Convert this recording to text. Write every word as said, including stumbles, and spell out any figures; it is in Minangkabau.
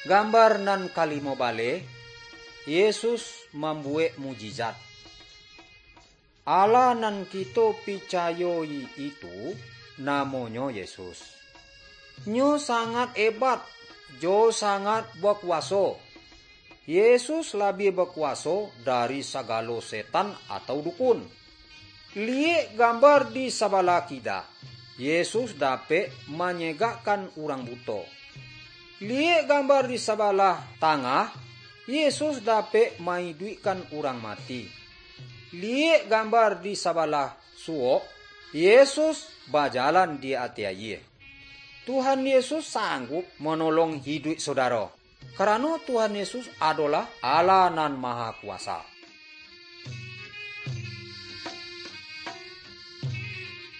Gambar nan kalimo baleh, Yesus mambuwek mujizat. Allah nan kito picayoi itu, namonyo Yesus. Nyo sangat ebat, jo sangat bakuwaso. Yesus labiah bakuwaso dari sagalo setan atau dukun. Liyek gambar di sabalah kida, Yesus dapek manyegakkan urang buto. Liyek gambar di sabalah tangah, Yesus dapek maiduikkan urang mati. Liyek gambar di sabalah suwok, Yesus bajalan di ateh ayie. Tuhan Yesus sanggup manolong hiduik sodaro, karano Tuhan Yesus adolah Allah Nan Maha Kuwaso.